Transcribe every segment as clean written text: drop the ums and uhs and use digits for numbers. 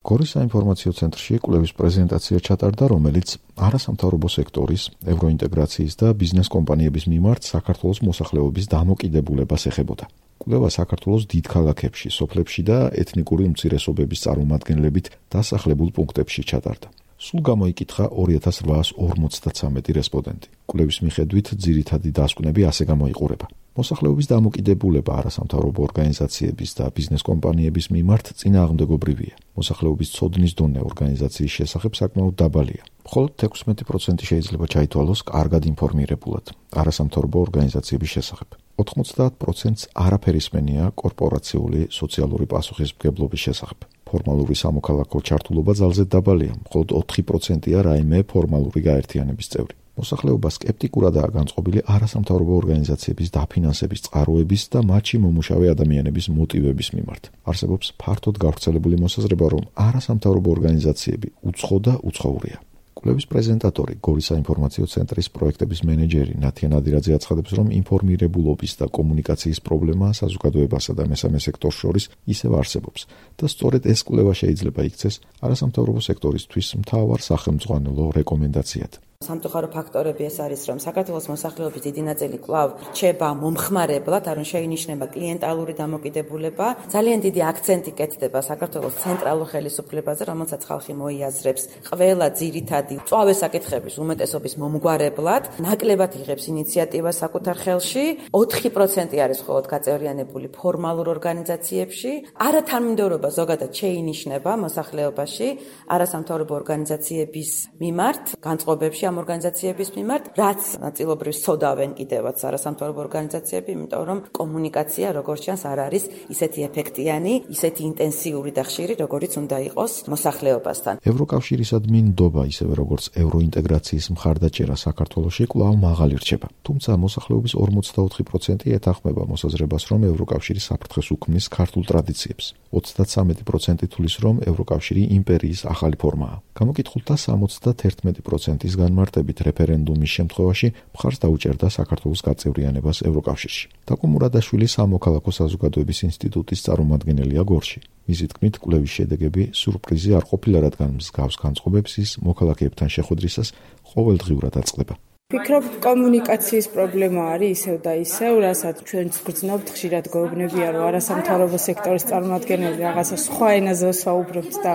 გორის საინფორმაციო ცენტრში კვლევის პრეზენტაცია ჩატარდა, რომელიც არასამთავრობო სექტორის, ევროინტეგრაციის და ბიზნეს კომპანიების მიმართ საქართველოს მოსახლეობის დამოკიდებულებას ეხებოდა. კვლევა საქართველოს დიდ ქალაქებში, სოფლებში და ეთნიკური უმცირესობების წარმომადგენლებით დასახლებულ პუნქტებში ჩატარდა. სულ გამოიკითხა 2853 რესპონდენტი. კვლევის მიხედვით ძირითადი დასკვნები ასე გამოიყურება. მოსახლეობის დამოკიდებულება არასამთავრობო ორგანიზაციების და ბიზნეს კომპანიების მიმართ წინააღმდეგობრივია. მოსახლეობის ცოდნის დონე ორგანიზაციის შესახებ საკმაოდ დაბალია. მხოლოდ 16% შეიძლება ჩაითვალოს კარგად ინფორმირებულად არასამთავრობო ორგანიზაციების შესახებ. 90%-ს არაფერი სმენია კორპორაციული სოციალური პასუხისმგებლობის შესახებ. ფორმალური სამოქალაქო ჩართულობა ძალზედ დაბალია, მხოლოდ 4%-ია რაიმე ფორმალური გაერთიანების წევრი. მოსახლეობა სკეპტიკურადაა განწყობილი არასამთავრობო ორგანიზაციების დაფინანსების წყაროების და მათში მომუშავე ადამიანების მოტივების მიმართ. არსებობს ფართოდ გავრცელებული მოსაზრება, რომ არასამთავრობო ორგანიზაციები უცხო და უცხოურია. კვლევის პრეზენტატორი, გორის საინფორმაციო ცენტრის პროექტების მენეჯერი ნათია ნადირაძე აცხადებს, რომ ინფორმირებულობის და კომუნიკაციის პრობლემა საზოგადოებასა და მესამე სექტორს შორის ისევ არსებობს და სწორედ ეს კვლევა შეიძლება იქცეს არასამთავრობო სექტორისთვის მთავარ სახელმძღვანელო რეკომენდაციად. სამწუხარო ფაქტორები ეს არის, რომ საქართველოს მოსახლეობის დიდი ნაწილი კვლავ რჩება მომხმარებლად, არ შეინიშნება კლიენტალური დამოკიდებულება. ძალიან დიდი აქცენტი კეთდება საქართველოს ცენტრალურ ხელისუფლებაზე, რომელსაც ხალხი მოიაზრებს ყველა ძირითადი მწვავე საკითხების უმეტესობის მომგვარებლად, ნაკლებად იღებს ინიციატივას საკუთარ ხელში. 4% არის მხოლოდ გაწევრიანებული ფორმალურ ორგანიზაციებში. არათანმიმდევრობა ზოგადად შეინიშნება მოსახლეობაში არასამთავრობო ორგანიზაციების მიმართ, განწყობებში ამ ორგანიზაციების მიმართ, რაც ნაწილობრივ სცოდავენ კიდევაც არასამთავრობო ორგანიზაციები, იმიტომ რომ კომუნიკაცია როგორც ჩანს არ არის ისეთი ეფექტიანი, ისეთი ინტენსიური და ხშირი, როგორიც უნდა იყოს მოსახლეობასთან. ევროკავშირისადმი ნდობა, ისევე როგორც ევროინტეგრაციის მხარდაჭერა საქართველოში კვლავ მაღალი რჩება. თუმცა მოსახლეობის 44% ეთანხმება მოსაზრებას, რომ ევროკავშირი საფრთხეს უქმნის ქართულ ტრადიციებს. 33% თვლის, რომ ევროკავშირი იმპერიის ახალი ფორმაა. გამოკითხულთა 71%-ის განმარტებით რეფერენდუმის შემთხვევაში მხარს დაუჭერდა საქართველოს გაწევრიანებას ევროკავშირში. დაკო მურადაშვილი სამოქალაქო საზოგადოების ინსტიტუტის წარმომადგენელია გორში. მისი თქმით, კვლევის შედეგები სიურპრიზი არ ყოფილა, რადგან მსგავს განწყობებს ის მოქალაქეებთან შეხვედრისას ყოველდღიურად აწყდება. ვფიქრობ, კომუნიკაციის პრობლემა არის ისევ და ისევ, რასაც ჩვენც გრძნობთ, ხშირად გვეუბნებია, რომ არასამთავრობო სექტორის წარმომადგენლები რაღაცა სხვა ენაზე ვსაუბრობთ და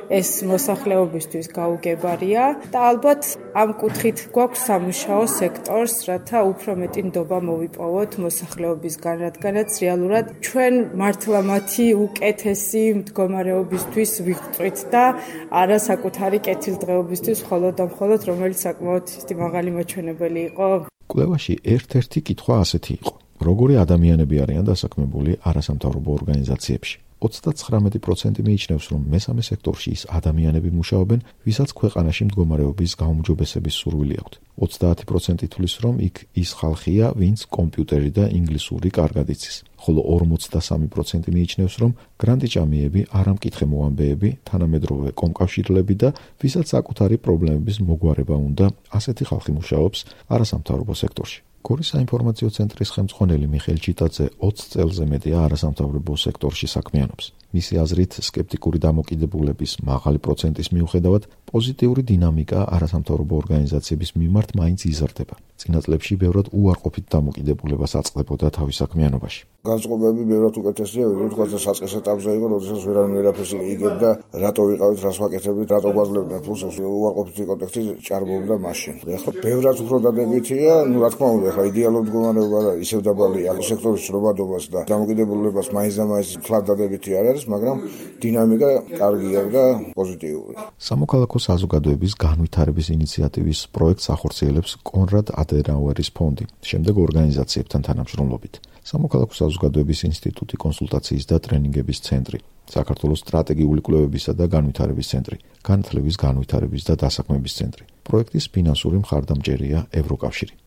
ეს მოსახლეობისთვის გაუგებარია და ალბათ ამ კუთხით გვაქვს სამუშაო სექტორს, რათა უფრო მეტი ნდობა მოვიპოვოთ მოსახლეობისგან, რადგანაც რეალურად ჩვენ მართლა მათი უკეთესი მდგომარეობისთვის ვიღწვით და არა საკუთარი კეთილდღეობისთვის მხოლოდ და მხოლოდ, რომელიც საკმაოდ მაღალი მოჩვენებელი იყო. კვლევაში ერთ-ერთი კითხვა ასეთი იყო: როგორი ადამიანები არიან დასაქმებული არასამთავრობო ორგანიზაციებში? 99% მიიჩნევს, რომ მესამე სექტორში ის ადამიანები მუშაობენ, ვისაც ქვეყანაში მდგომარეობის გაუმჯობესების სურვილი აქვთ. 30% თვლის, რომ იქ ის ხალხია, ვინც კომპიუტერი და ინგლისური კარგად იცის. ხოლო 43% მიიჩნევს, რომ გრანტიჭამიები, არამკითხემოვანბეები, თანამედროვე კომკავშირლები და ვისაც საკუთარი პრობლემების მოგვარება უნდა, ასეთი ხალხი მუშაობს არასამთავრობო სექტორში. გორის საინფორმაციო ცენტრის ხელმძღვანელი მიხეილ ჩიტაძე 20 წელზე მეტია არასამთავრობო სექტორში საქმიანობს. მისი აზრით, სკეპტიკური დამოკიდებულების მაღალი პროცენტის მიუხედავად, პოზიტიური დინამიკა არასამთავრობო ორგანიზაციების მიმართ მაინც იზრდება. წინა წლებში ბევრად უარყოფით დამოკიდებულებას აწყდებოდა თავის საქმიანობაში. განწყობები ბევრად უკეთესია, ვიდრე თქვა საწყის ეტაპზე იყო, როდესაც ვერაფერს იგებდა, რატო ვიყავით, რას ვაკეთებდით, რატო გვაძლევდნენ ფულს, უარყოფითი კონტექსტი ჭარბობდა მაშინ. ეხლა ბევრად უფრო დადებითია, რა თქმა უნდა, ეხლა იდეალურ მდგომარეობა და ისევ დაბალია, სექტორის შრომადობას და დამოკიდებულებას მაინც და მაინც ფლად დადებითი არ არის, მაგრამ დინამიკა კარგია და პოზიტიური. სამოქალაქო საზოგადოების განვითარების ინიციატივის პროექტს ახორციელებს კონრად ადენაუერის ფონდი, შემდეგ ორგანიზაციებთან თანამშრომლობით. სამოქალაქო საზოგადოების ინსტიტუტი, კონსულტაციის და ტრენინგების ცენტრი, საქართველოს სტრატეგიული კვლევებისა და განვითარების ცენტრი, განათლების, განვითარების და დასაქმების ცენტრი. პროექტის ფინანსური მხარდამჭერია ევროკავშირი.